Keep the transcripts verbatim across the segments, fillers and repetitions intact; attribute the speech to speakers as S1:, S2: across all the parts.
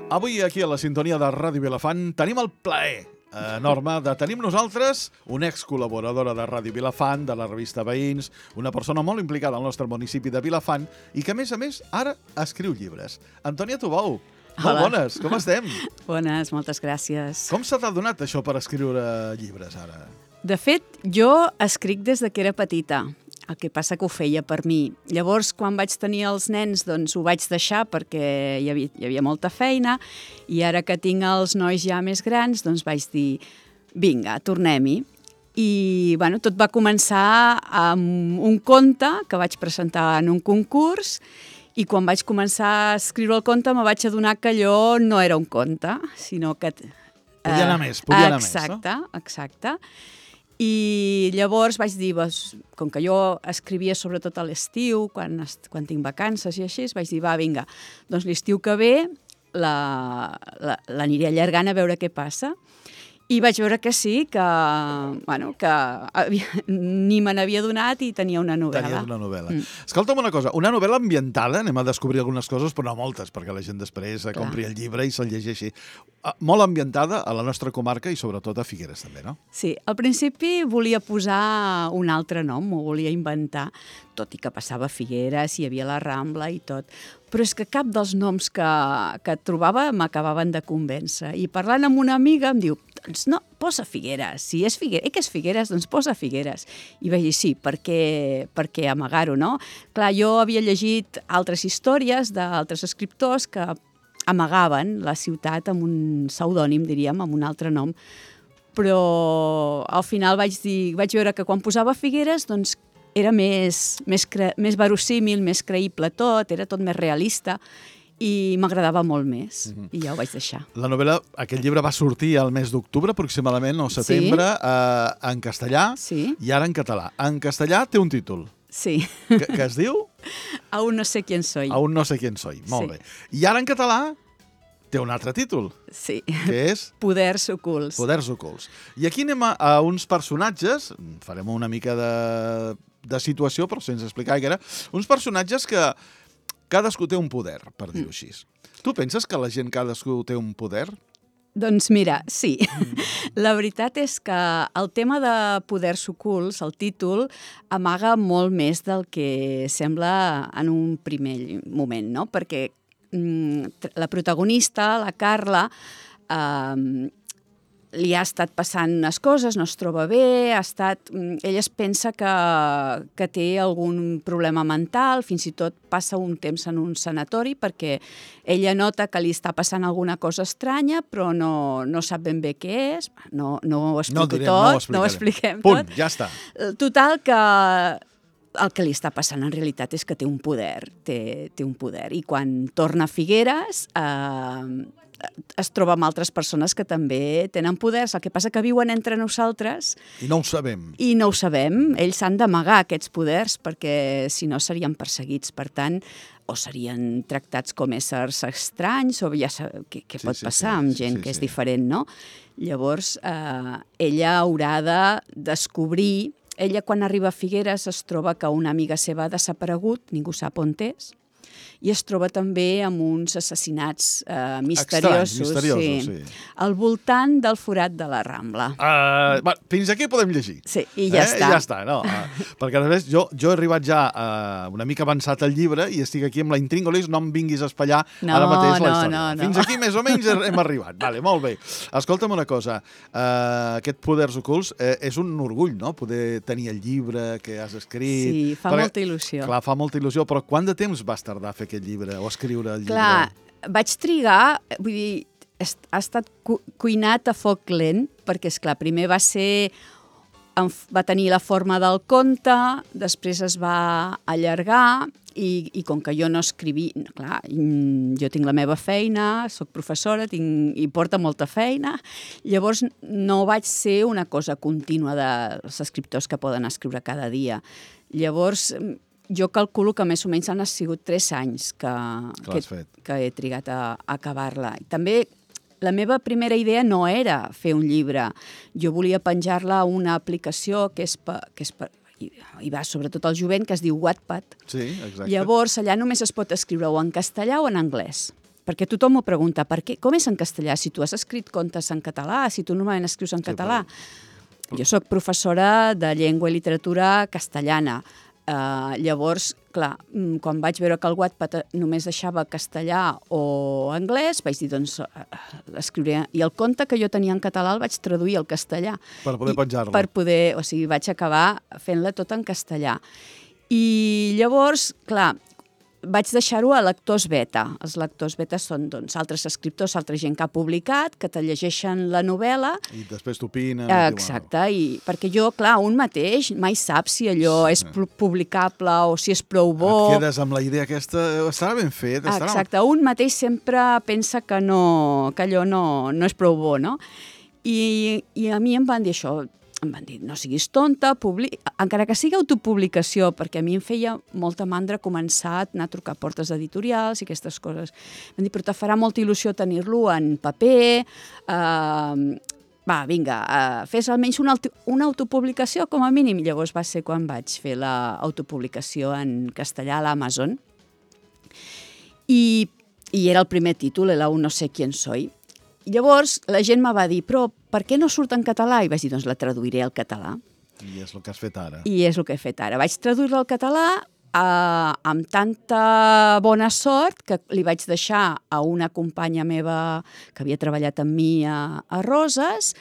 S1: Avui aquí a la sintonia de Ràdio Vilafant tenim el plaer enorme de tenir amb nosaltres una ex-col·laboradora de Ràdio Vilafant, de la revista Veïns, una persona molt implicada al nostre municipi de Vilafant i que, a més a més, ara escriu llibres. Antònia Tubau, molt bones, com estem?
S2: Bones, moltes gràcies.
S1: Com se t'ha donat això per escriure llibres ara?
S2: De fet, jo escric des de que era petita. El que passa que ho feia per mi. Llavors, quan vaig tenir els nens, doncs ho vaig deixar perquè hi havia, hi havia molta feina i ara que tinc els nois ja més grans, doncs vaig dir, vinga, tornem-hi. I bueno, tot va començar amb un conte que vaig presentar en un concurs i quan vaig començar a escriure el conte me vaig adonar que allò no era un conte, sinó que...
S1: Podia anar més, podia anar més, no?
S2: Exacte, exacte. I llavors vaig dir, com que jo escrivia sobretot a l'estiu, quan, quan tinc vacances i així, vaig dir, va, vinga, doncs l'estiu que ve l'aniré allargant a veure què passa. I vaig veure que sí, que, bueno, que havia, ni me n'havia donat i tenia una novel·la.
S1: Tenies una novel·la. Mm. Escolta'm una cosa, una novel·la ambientada, anem a descobrir algunes coses, però no moltes, perquè la gent després Clar. compri el llibre i se'l llegeixi. Molt ambientada a la nostra comarca i sobretot a Figueres també, no?
S2: Sí, al principi volia posar un altre nom, m'ho volia inventar, tot i que passava a Figueres, hi havia la Rambla i tot. Però és que cap dels noms que, que trobava m'acabaven de convèncer. I parlant amb una amiga em diu, doncs no, posa Figueres. Si és Figueres, eh, que és Figueres, doncs posa Figueres. I vaig dir, sí, perquè, perquè amagar-ho, no? Clar, jo havia llegit altres històries d'altres escriptors que amagaven la ciutat amb un pseudònim, diríem, amb un altre nom. Però al final vaig dir, vaig veure que quan posava Figueres, doncs era més, més, cre... més verossímil, més creïble tot, era tot més realista i m'agradava molt més, mm-hmm. i ja ho vaig deixar.
S1: La novel·la, aquest llibre va sortir al mes d'octubre aproximadament, o setembre, sí. eh, en castellà
S2: sí.
S1: i ara en català. En castellà té un títol.
S2: Sí.
S1: Que, que es diu?
S2: Aún no sé quién soy.
S1: Aún no sé quién soy, molt sí. bé. I ara en català té un altre títol.
S2: Sí.
S1: Que és?
S2: Poders ocults.
S1: Poders ocults. I aquí anem a, a uns personatges, farem una mica de, de situació, però sense explicar gaire, uns personatges que cadascú té un poder, per dir-ho així. Mm. Tu penses que la gent cadascú té un poder?
S2: Doncs mira, sí. Mm. La veritat és que el tema de poders ocults, el títol, amaga molt més del que sembla en un primer moment, no? Perquè la protagonista, la Carla, eh, li ha estat passant unes coses, no es troba bé, ha estat, ella es pensa que, que té algun problema mental, fins i tot passa un temps en un sanatori perquè ella nota que li està passant alguna cosa estranya, però no, no sap ben bé què és, no, no ho explico
S1: no direm,
S2: tot,
S1: no
S2: ho, no ho expliquem
S1: Punt,
S2: tot.
S1: Ja està.
S2: Total que el que li està passant en realitat és que té un poder, té, té un poder. I quan torna a Figueres eh, es troba amb altres persones que també tenen poders. El que passa que viuen entre nosaltres...
S1: I no ho sabem.
S2: I no ho sabem. Ells s'han d'amagar aquests poders perquè si no serien perseguits. Per tant, o serien tractats com éssers estranys o ja sab... què, què
S1: sí,
S2: pot
S1: sí,
S2: passar
S1: sí,
S2: amb
S1: sí,
S2: gent
S1: sí,
S2: que és
S1: sí.
S2: diferent, no? Llavors, eh, ella haurà de descobrir... Ella, quan arriba a Figueres, es troba que una amiga seva ha desaparegut, ningú sap on és, i es troba també amb uns assassinats eh, misteriosos,
S1: Estranys, misteriosos sí. Sí.
S2: al voltant del forat de la Rambla.
S1: Uh, va, fins aquí podem llegir.
S2: Sí, i ja
S1: eh?
S2: està.
S1: I ja està, no? Uh, perquè, a més, jo, jo he arribat ja uh, una mica avançat al llibre i estic aquí amb la intríngolis, no em vinguis a espatllar
S2: no,
S1: ara mateix la
S2: no,
S1: història.
S2: No, no.
S1: Fins aquí, més o menys, hem arribat. Vale, molt bé. Escolta'm una cosa, uh, aquest Poders ocults eh, és un orgull, no?, poder tenir el llibre que has escrit.
S2: Sí, fa
S1: perquè,
S2: molta il·lusió.
S1: Clar, fa molta il·lusió, però quant de temps vas tardar a fer aquest llibre o escriure el llibre?
S2: Clar, vaig trigar, vull dir, ha estat cu cuinat a foc lent, perquè, esclar, primer va ser... va tenir la forma del conte, després es va allargar i, i com que jo no escriví... Clar, jo tinc la meva feina, soc professora tinc, i porta molta feina, llavors no vaig ser una cosa contínua dels escriptors que poden escriure cada dia. Llavors... jo calculo que més o menys han sigut tres anys que, que, que he trigat a, a acabar-la. També la meva primera idea no era fer un llibre. Jo volia penjar-la a una aplicació que és, pa, que és pa, hi va sobretot el jovent, que es diu Wattpad.
S1: Sí, exacte.
S2: Llavors, allà només es pot escriure o en castellà o en anglès. perquè tothom m'ho pregunta, per què, com és en castellà? Si tu has escrit contes en català, si tu normalment escrius en català. Jo sóc professora de llengua i literatura castellana. Uh, llavors, clar, quan vaig veure que el Wattpad només deixava castellà o anglès, vaig dir, doncs, uh, escriuré... I el conte que jo tenia en català el vaig traduir al castellà.
S1: Per poder penjar-lo.
S2: Per poder, o sigui, vaig acabar fent-la tot en castellà. I llavors, clar, vaig deixar-ho a lectors beta. Els lectors beta són, doncs, altres escriptors, altra gent que ha publicat, que te llegeixen la novel·la.
S1: I després t'opinen.
S2: Exacte, i perquè jo, clar, un mateix mai sap si allò és publicable o si és prou bo.
S1: Et quedes amb la idea aquesta, estarà ben fet. Estarà...
S2: Exacte, un mateix sempre pensa que, no, que allò no, no és prou bo, no? I, i a mi em van dir això, em van dir, no siguis tonta, publi... encara que sigui autopublicació, perquè a mi em feia molta mandra començar a anar a trucar a portes editorials i aquestes coses. Em van dir, però te farà molta il·lusió tenir-lo en paper, eh, va, vinga, uh, fes almenys una, una autopublicació com a mínim. Llavors va ser quan vaig fer l'autopublicació en castellà a l'Amazon. I, I era el primer títol, era un no sé quién soy. Llavors la gent me va dir, però per què no surt en català? I vaig dir, doncs la traduiré al català.
S1: I és el que has fet ara.
S2: I és el que he fet ara. Vaig traduir-la al català eh, amb tanta bona sort que li vaig deixar a una companya meva que havia treballat amb mi a, a Roses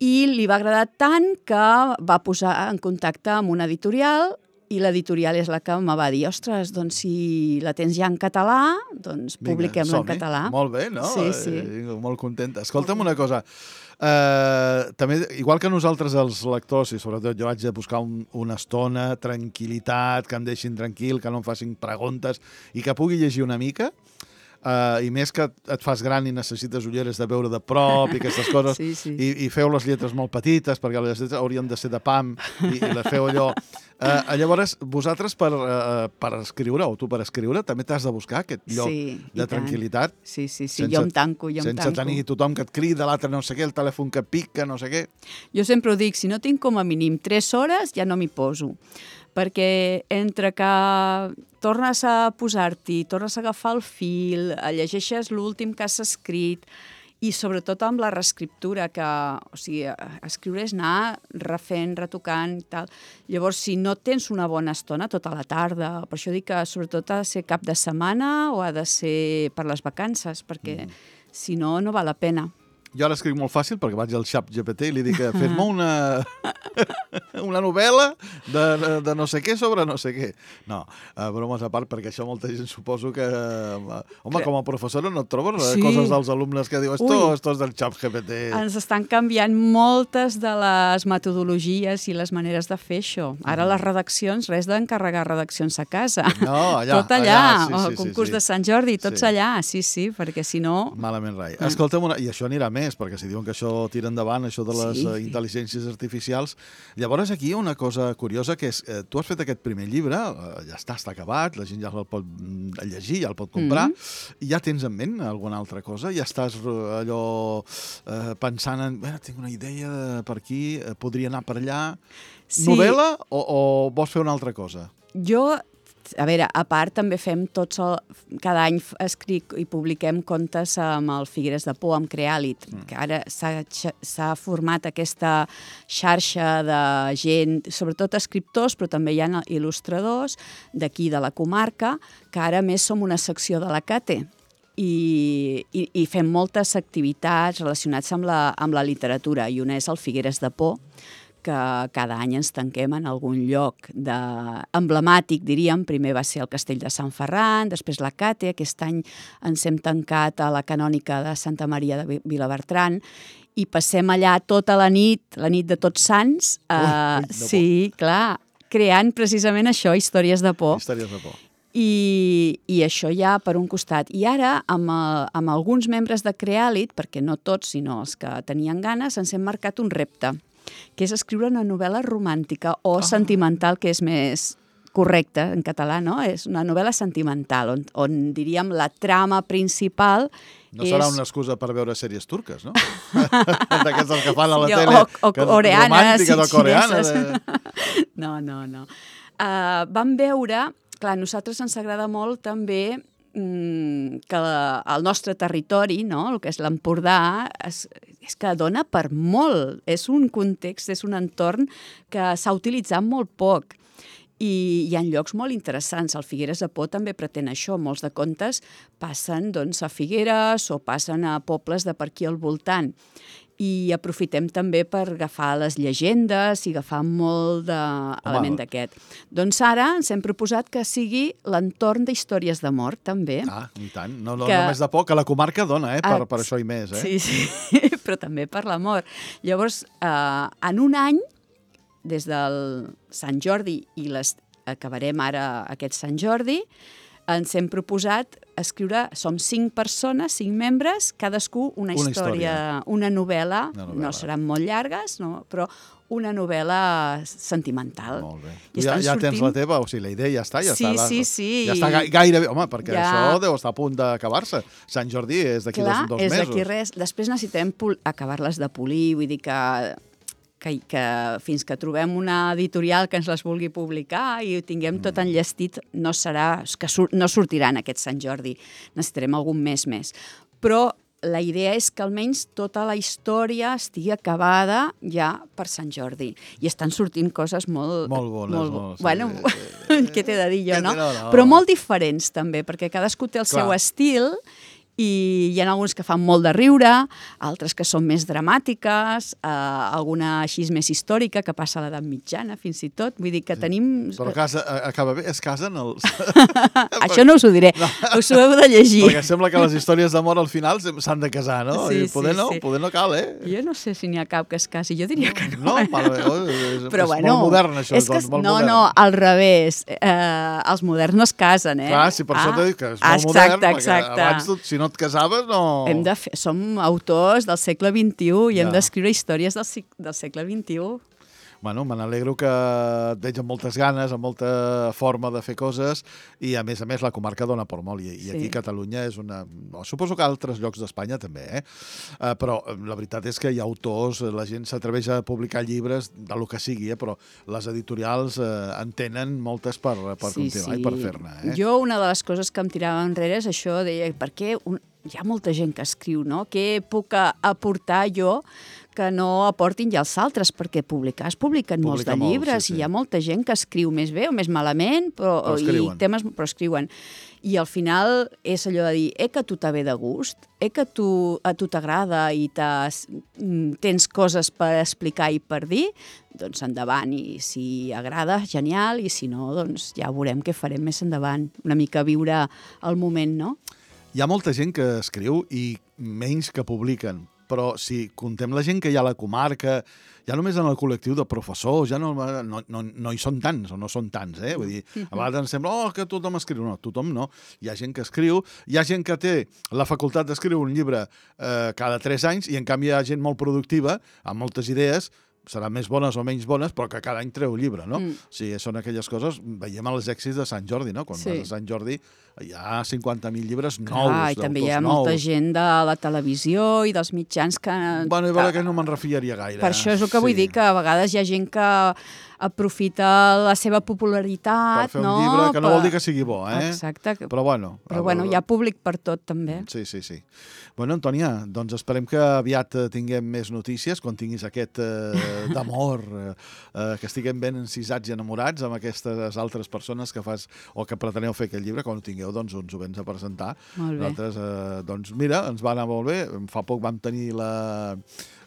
S2: i li va agradar tant que va posar en contacte amb una editorial i l'editorial és la que em va dir, ostres, doncs si la tens ja en català, doncs publiquem-la en català.
S1: Molt bé, no?
S2: Sí, sí.
S1: Eh, molt contenta. Escolta'm una cosa, eh, també, igual que nosaltres els lectors, i sobretot jo haig de buscar un, una estona, tranquil·litat, que em deixin tranquil, que no em facin preguntes i que pugui llegir una mica, Uh, i més que et fas gran i necessites ulleres de veure de prop i aquestes coses,
S2: sí, sí.
S1: I, i feu les lletres molt petites perquè les lletres haurien de ser de pam i, i les feu allò. Uh, llavors, vosaltres per, uh, per escriure, o tu per escriure, també t'has de buscar aquest lloc
S2: sí,
S1: de tranquil·litat.
S2: Sí, sí, sí, sense, jo em tanco, jo em
S1: sense
S2: tanco.
S1: Sense tenir tothom que et crida, l'altre no sé què, el telèfon que pica, no sé què.
S2: Jo sempre ho dic, si no tinc com a mínim tres hores, ja no m'hi poso. Perquè entre que tornes a posar-t'hi, tornes a agafar el fil, llegeixes l'últim que has escrit i sobretot amb la reescriptura, que o sigui, escriure és anar refent, retocant i tal. Llavors, si no tens una bona estona tota la tarda, per això dic que sobretot ha de ser cap de setmana o ha de ser per les vacances, perquè mm. si no, no val la pena.
S1: Jo ara escric molt fàcil perquè vaig al xap G P T i li dic, fes-me una, una novel·la de, de, de no sé què sobre no sé què. No, uh, bromes a part, perquè això molta gent suposo que... Uh, home, com a professora no et trobes sí. coses dels alumnes que diu esto, esto és del xap G P T. Ens
S2: estan canviant moltes de les metodologies i les maneres de fer això. Ara les redaccions, res d'encarregar redaccions a casa.
S1: No, allà.
S2: Tot allà,
S1: allà sí,
S2: el
S1: sí,
S2: concurs
S1: sí, sí.
S2: de Sant Jordi, tots
S1: sí.
S2: allà, sí, sí, perquè si no...
S1: Malament rai. Mm. Escolta'm, una... i això anirà més, perquè si diuen que això tira endavant, això de les sí. uh, intel·ligències artificials. Llavors aquí hi ha una cosa curiosa, que és, eh, tu has fet aquest primer llibre, eh, ja està, està acabat, la gent ja el pot llegir, ja el pot comprar, mm-hmm. i ja tens en ment alguna altra cosa? Ja estàs allò eh, pensant en, bé, tinc una idea per aquí, eh, podria anar per allà. Sí. Novel·la o, o vols fer una altra cosa?
S2: Jo... A veure, a part també fem tots el... Cada any escric i publiquem contes amb el Figueres de Por, amb Creàlit, mm. que ara s'ha format aquesta xarxa de gent, sobretot escriptors, però també hi ha il·lustradors d'aquí de la comarca, que ara més som una secció de la CATE. I, i, i fem moltes activitats relacionades amb la, amb la literatura, i una és el Figueres de Por, que cada any ens tanquem en algun lloc de... emblemàtic, diríem. Primer va ser el Castell de Sant Ferran, després la Cate, aquest any ens hem tancat a la Canònica de Santa Maria de Vilabertran, i passem allà tota la nit, la nit de Tots Sants, eh, ui, ui, sí, clar, creant precisament això, històries de por.
S1: Històries de por.
S2: I, i això ja per un costat. I ara, amb, el, amb alguns membres de Creàlit, perquè no tots, sinó els que tenien ganes, ens hem marcat un repte, que és escriure una novel·la romàntica o oh. sentimental, que és més correcte en català, no? És una novel·la sentimental, on, on diríem la trama principal
S1: no
S2: és...
S1: serà una excusa per veure sèries turques, no? D'aquestes que fan a la
S2: sí,
S1: tele.
S2: O, o coreanes,
S1: romàntica,
S2: sí,
S1: coreana. De...
S2: No, no, no. Uh, vam veure... Clar, a nosaltres ens agrada molt també que el nostre territori, no? El que és l'Empordà, és, és que dona per molt. És un context, és un entorn que s'ha utilitzat molt poc. I hi ha llocs molt interessants. El Figueres de Por també pretén això. Molts de contes passen doncs, a Figueres o passen a pobles de per aquí al voltant. I aprofitem també per agafar les llegendes i agafar molt d'element d'aquest. Doncs ara ens hem proposat que sigui l'entorn d'històries d'amor, també.
S1: Ah, i tant. No, no que... només de por, que la comarca dona, eh? Per, ah, per això i més, eh?
S2: Sí, sí, però també per l'amor. Llavors, eh, en un any, des del Sant Jordi i les acabarem ara aquest Sant Jordi, ens hem proposat escriure, som cinc persones, cinc membres, cadascú una, una història, història, una novel·la, una novel·la, no seran molt llargues, no, però una novel·la sentimental.
S1: Molt bé. Tu ja, ja sortint... tens la teva, o sigui, la idea ja està, ja
S2: sí,
S1: està.
S2: Sí, sí, sí.
S1: Ja està gairebé, home, perquè ja... això deu estar a punt d'acabar-se. Sant Jordi és d'aquí dos, dos
S2: és
S1: mesos.
S2: Clar, és d'aquí res. Després necessitem acabar-les de polir, vull dir que... Que, que fins que trobem una editorial que ens les vulgui publicar i ho tinguem tot enllestit, no serà, que sur, no sortirà en aquest Sant Jordi. Necessitarem algun mes més. Però la idea és que almenys tota la història estigui acabada ja per Sant Jordi. I estan sortint coses molt...
S1: Molt bones. Molt, molt,
S2: bueno, sí. Què t'he de dir jo, no?
S1: no, no?
S2: Però molt diferents, també, perquè cadascú té el Clar. seu estil i hi ha alguns que fan molt de riure, altres que són més dramàtiques, eh, alguna així més històrica, que passa a l'edat mitjana, fins i tot. Vull dir que sí. tenim...
S1: Però casa, acaba bé, es casen els...
S2: Això no us ho diré, no. Us ho heu de llegir.
S1: Perquè sembla que les històries d'amor al final s'han de casar, no?
S2: Sí,
S1: I poder
S2: sí,
S1: no,
S2: sí.
S1: poder no cal, eh?
S2: Jo no sé si n'hi ha cap que es casi, jo diria que no.
S1: No,
S2: eh?
S1: malament, és,
S2: Però
S1: és
S2: bueno,
S1: molt modern, això.
S2: És que,
S1: doncs, molt
S2: no,
S1: modern.
S2: no, al revés. Eh, els moderns no es casen, eh?
S1: Clar, sí, per
S2: ah,
S1: això t'he dit que és molt
S2: exacte,
S1: modern, perquè
S2: exacte.
S1: abans, tu, si no et casaves, no...
S2: Hem de fer, som autors del segle vint-i-u i
S1: ja.
S2: hem d'escriure històries del, del segle vint-i-u.
S1: Bueno, me n'alegro que et veig amb moltes ganes, amb molta forma de fer coses i, a més a més, la comarca dona per molt. I, i aquí
S2: sí.
S1: Catalunya és una... No, suposo que altres llocs d'Espanya també, eh? Uh, però la veritat és que hi ha autors, la gent s'atreveix a publicar llibres de lo que sigui, eh? Però les editorials uh, en tenen moltes per, per
S2: sí,
S1: continuar
S2: sí.
S1: i per fer-ne. Eh?
S2: Jo, una de les coses que em tirava enrere és això, deia, per què un... hi ha molta gent que escriu, no? Què puc aportar jo que no aportin ja els altres, perquè publicar es publiquen molts de llibres molt, sí, sí. i hi ha molta gent que escriu més bé o més malament, però,
S1: però escriuen.
S2: I temes, però escriuen. I al final és allò de dir, eh, que a tu t'ha ve de gust, eh, que tu, a tu t'agrada i tens coses per explicar i per dir, doncs endavant. I si agrada, genial, i si no, doncs ja veurem què farem més endavant. Una mica viure el moment, no?
S1: Hi ha molta gent que escriu i menys que publiquen, però si contem la gent que hi ha a la comarca, ja només en el col·lectiu de professors, ja no, no, no, no hi són tants, o no són tants, eh? Vull dir, a vegades ens sembla, oh, que tothom escriu. No, tothom no. Hi ha gent que escriu, hi ha gent que té la facultat d'escriure un llibre eh, cada tres anys, i en canvi hi ha gent molt productiva, amb moltes idees, seran més bones o menys bones, però que cada any treu llibre, no? Mm. O sigui, són aquelles coses, veiem els èxits de Sant Jordi, no? Quan sí. vas a Sant Jordi hi ha cinquanta mil llibres nous,
S2: Clar, i també hi ha nous. Molta gent de la televisió i dels mitjans que...
S1: Bueno, i veure que no me'n refiaria gaire.
S2: Per això és el que sí. vull dir, que a vegades hi ha gent que aprofita la seva popularitat...
S1: Per fer un
S2: no?
S1: llibre, que no
S2: per...
S1: vol dir que sigui bo, eh?
S2: Exacte.
S1: Però bueno...
S2: Però bueno, hi ha públic per tot, també.
S1: Sí, sí, sí. Bueno, Antònia, doncs esperem que aviat tinguem més notícies, quan tinguis aquest eh, d'amor, eh, que estiguem ben encisats i enamorats amb aquestes altres persones que fas o que preteneu fer aquest llibre. Quan ho tingueu, doncs ens ho vens a presentar.
S2: Molt bé.
S1: Nosaltres, eh, doncs mira, ens va anar molt bé. Fa poc vam tenir la...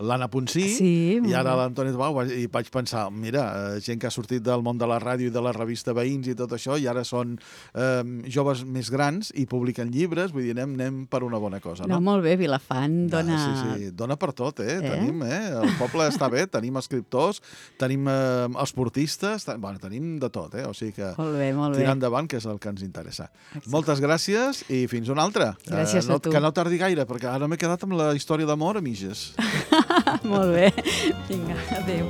S1: l'Anna Ponsí,
S2: sí,
S1: i ara l'Antoni Bau, i vaig pensar, mira, gent que ha sortit del món de la ràdio i de la revista Veïns i tot això, i ara són eh, joves més grans i publiquen llibres, vull dir, anem, anem per una bona cosa, no?
S2: No, molt bé, Vilafant dona...
S1: Ah, sí, sí, dona per tot, eh? eh? Tenim, eh? El poble està bé, tenim escriptors, tenim eh, esportistes, ten... bueno, tenim de tot, eh? O sigui que
S2: molt bé, molt
S1: tirar
S2: bé.
S1: endavant, que és el que ens interessa. Exacte. Moltes gràcies i fins una altra.
S2: Gràcies
S1: eh, no,
S2: a tu.
S1: Que no tardi gaire, perquè ara m'he quedat amb la història d'amor a mitges.
S2: Molt bé. Vinga, adéu.